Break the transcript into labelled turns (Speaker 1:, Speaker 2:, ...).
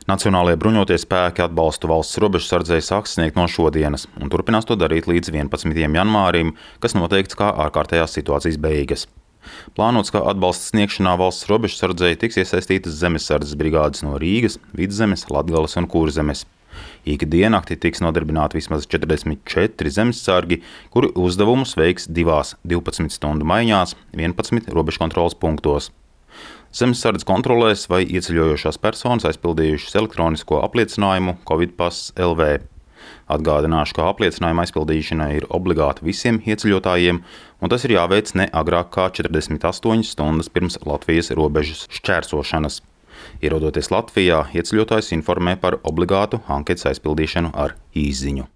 Speaker 1: Nacionālajie bruņotie spēki atbalstu valsts robežsardzei sāks sniegt no šodienas un turpinās to darīt līdz 11. janvārim, kas noteikts kā ārkārtējās situācijas beigas. Plānots, ka atbalsta sniegšanā valsts robežsardzei tiks iesaistītas zemesardzes brigādes no Rīgas, Vidzemes, Latgales un Kurzemes. Ikdienakti tiks nodarbināti vismaz 44 zemesargi, kuri uzdevumus veiks divās 12 stundu maiņās 11 robežkontroles punktos. Zemesardzes kontrolēs, vai ieceļojošās personas aizpildījušas elektronisko apliecinājumu Covid-pass LV. Atgādināšu, ka apliecinājuma aizpildīšana ir obligāta visiem ieceļotājiem, un tas ir jāveic ne agrāk kā 48 stundas pirms Latvijas robežas šķērsošanas. Ierodoties Latvijā, ieceļotājs informē par obligātu anketas aizpildīšanu ar īsziņu.